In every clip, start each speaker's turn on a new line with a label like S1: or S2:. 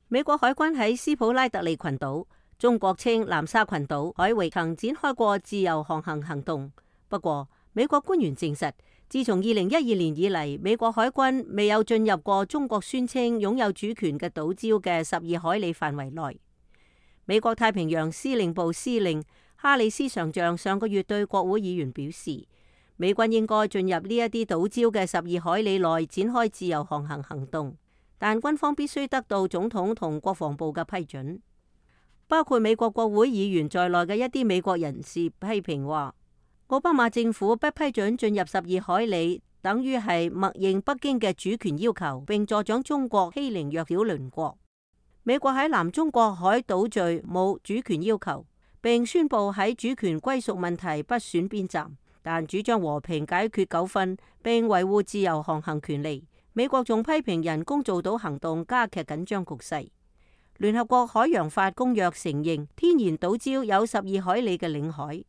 S1: 美國海軍喺斯普拉特利群島，中國稱南沙群島海域曾展開過自由航行行動。不過，美國官員證實，自從2012年以嚟，美國海軍未有進入過中國宣稱擁有主權嘅島礁嘅12海里範圍內。美國太平洋司令部司令哈里斯上將上個月對國會議員表示，美軍應該進入呢一啲島礁嘅12海里內展開自由航行行動。但軍方必須得到總統同國防部嘅批准。包括美國國會議員在內嘅一啲美國人士批評話，奧巴馬政府不批准進入12海里，等於係默認北京嘅主權要求，並助長中國欺凌弱小鄰國。美國喺南中國海島嶼冇主權要求，並宣布喺主權歸屬問題不選邊站，但主張和平解決糾紛，並維護自由航行權利。美國仲批評人工造島行動加劇緊張局勢。聯合國海洋法公約承認天然島礁有12海里嘅領海，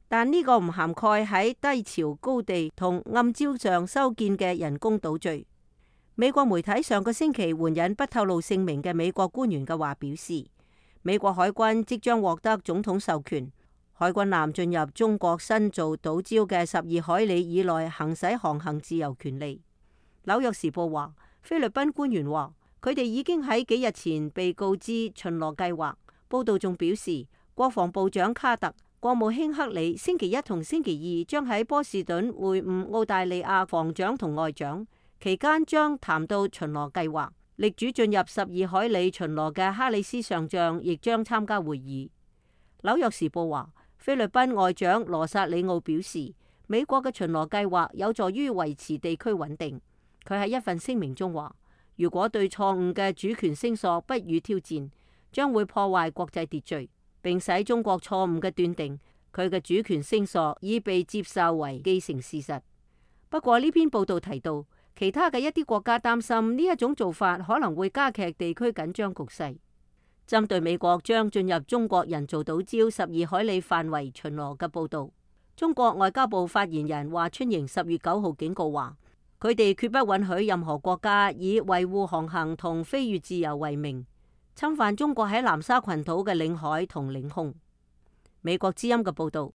S1: 但呢個唔涵蓋喺低潮高地同暗礁上修建嘅人工島嶼。美國媒體上個星期援引不透露姓名嘅美國官員嘅話表示，美國海軍即將獲得總統授權，海軍艦進入中國新造島礁嘅12海里以內行使航行自由權利。紐約時報話，菲律賓官員話佢哋已經喺幾日前被告知巡邏計劃。報道仲表示，國防部長卡特、國務卿克里星期一同星期二將喺波士頓會晤澳大利亞防長同外長，期間將談到巡邏計劃。力主進入12海里巡邏嘅哈里斯上將亦將參加會議。紐約時報話，菲律賓外長羅薩里奧表示，美國嘅巡邏計劃有助於維持地區穩定。佢喺一份聲明中話，如果對錯誤嘅主權聲索不予挑戰，將會破壞國際秩序，並使中國錯誤嘅斷定佢嘅主權聲索已被接受為既成事實。不過呢篇報道提到，其他嘅一啲國家擔心呢一種做法可能會加劇地區緊張局勢。針對美國將進入中國人造島礁12海里範圍巡邏嘅報道，中國外交部發言人華春瑩10月9號警告話，佢哋決不允許任何國家以維護航行同飛越自由為名，侵犯中國喺南沙群島嘅領海同領空。美國之音嘅報道。